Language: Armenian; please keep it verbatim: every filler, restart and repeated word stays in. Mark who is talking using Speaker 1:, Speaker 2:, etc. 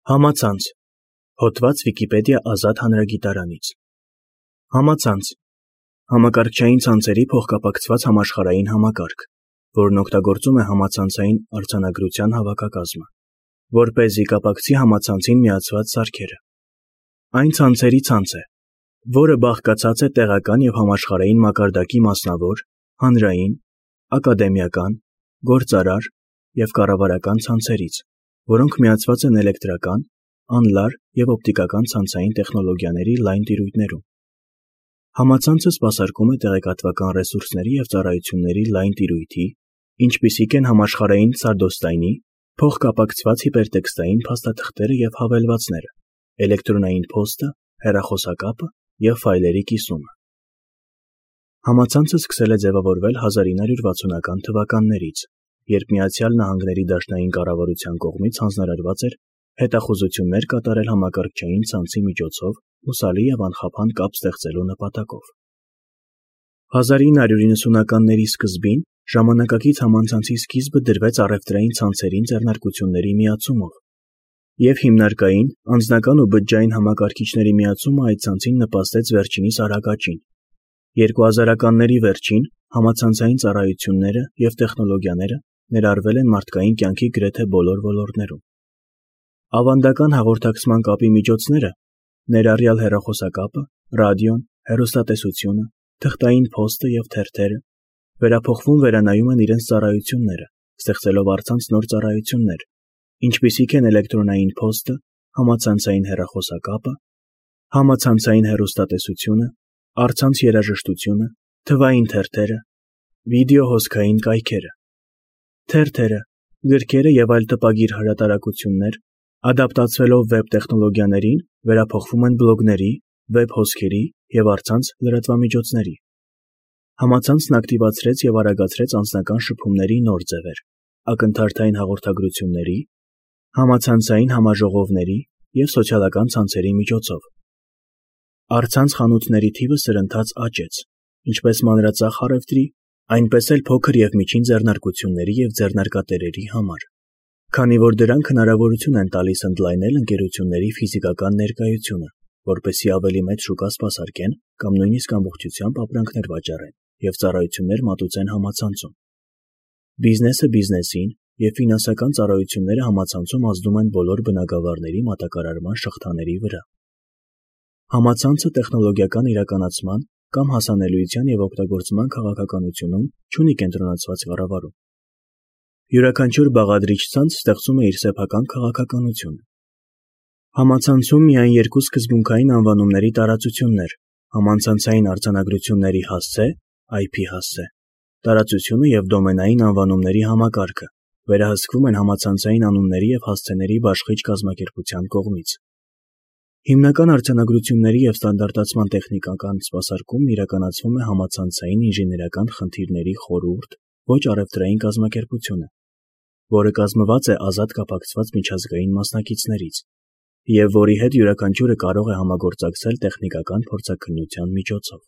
Speaker 1: Համացանց։ Հոդված Վիկիպեդիա ազատ հանրագիտարանից։ Համացանց համակարգչային ցանցերի փոխկապակցված համաշխարհային համակարգ, որն օգտագործում է համացանցային արձանագրության հավաքակազմը, որպեսզի կապակցի համացանցին միացված սարքերը։ Այն ցանցերի ցանց է, որը բաղկացած է տեղական և համաշխարհային մակարդակի մասնավոր, հանրային, ակադեմիական, գործարար և կառավարական ցանցերից, որոնք միացված են էլեկտրական, անլար և օպտիկական ցանցային տեխնոլոգիաների լայն տիրույթներում։ Համացանցը սպասարկում է տեղեկատվական ռեսուրսների և ծառայությունների լայն տիրույթի, ինչպիսիք են համաշխարհային սարդոստայնի, փոխկապակցված հիպերտեքստային փաստաթղթերը և հավելվածները, էլեկտրոնային փոստը, հեռախոսակապը և ֆայլերի կիսումը։ Համացանցը սկսել է ձևավորվել հազար ինը հարյուր վաթսունական թվականներից, երբ Միացյալ Նահանգների Դաշնային կառավարության կողմից հանձնարարված էր հետախուզություններ կատարել համակարգչային ցանցի միջոցով հուսալի և անխափան կապ ստեղծելու նպատակով։ հազար ինը հարյուր իննսունականների սկզբին ժամանակակից համացանցի սկիզբը դրվեց առևտրային ցանցերին ձեռնարկությունների միացումով, և հիմնարկային, անձնական ու բջջային համակարգիչների միացումը այդ ցանցին նպաստեց վերջինիս արագ աճին։ երկու հազարականների վերջին համացանցային ծառայությունները և տեխնոլոգիաները ներառվել են մարդկային կյանքի գրեթե բոլոր ոլորտներում։ Ավանդական հաղորդակցման կապի միջոցները, ներառյալ հեռախոսակապը, ռադիոն, հեռուստատեսությունը, թղթային փոստը և թերթերը, վերափոխվում վերանայում են իրենց ծառայությունները, ստեղծելով առցանց նոր ծառայություններ, ինչպիսիք են էլեկտրոնային փոստը, համացանցային հեռախոսակապը, համացանցային հեռուստատեսությունը, առցանց երաժշտությունը, թվային թերթերը, վիդեո-հոսքային կայքերը։ Թերթերը, գրքերը և այլ տպագիր հրատարակություններ, ադապտացվելով վեբ տեխնոլոգիաներին, վերափոխվում են բլոգների, վեբ հոսքերի և առցանց լրատվամիջոցների։ Համացանցն ակտիվացրեց և արագացրեց անձնական շփումների նոր ձևեր՝ ակնթարթային հաղորդագրությունների, համացանցային համաժողովների և սոցիալական ցանցերի միջոցով։ Առցանց խանութների թիվը սրընթաց աճեց, ինչպես մանրածախ առևտրի, այնպես էլ փոքր և միջին ձեռնարկությունների և ձեռնարկատերերի համար, քանի որ դրանք հնարավորություն են տալիս ընդլայնել ընկերությունների ֆիզիկական ներկայությունը, որպեսզի ավելի մեծ շուկա սպասարկեն կամ նույնիսկ ամբողջությամբ ապրանքներ վաճառեն և ծառայություններ մատուցեն համացանցում։ Բիզնեսը բիզնեսին և ֆինանսական ծառայությունները համացանցում ազդում են բոլոր բնագավառների մատակարարման շղթաների վրա։ Համացանցը տեխնոլոգիական իրականացման կամ հասանելիության և օգտագործման քաղաքականությունում չունի կենտրոնացված կառավարում։ Յուրաքանչյուր բաղադրիչ ցանց ստեղծում է իր սեփական քաղաքականությունը։ Համացանցում միայն երկու սկզբունքային անվանումների տարածություններ՝ համացանցային արձանագրությունների հասցե (այ փի հասցե) տարածությունը և դոմենային անվանումների համակարգը վերահսկվում են համացանցային անունների և հասցեների բաշխիչ կազմակերպության կողմից։ Հիմնական արձանագրությունների և ստանդարտացման տեխնիկական սպասարկումն իրականացվում է համացանցային ինժեներական խնդիրների խորհուրդ (ոչ առևտրային կազմակերպությունը), որը կազմված է ազատ կապակցված միջազգային մասնակիցներից, և որի հետ յուրաքանչյուրը կարող է համագործակցել տեխնիկական փորձաքննության միջոցով։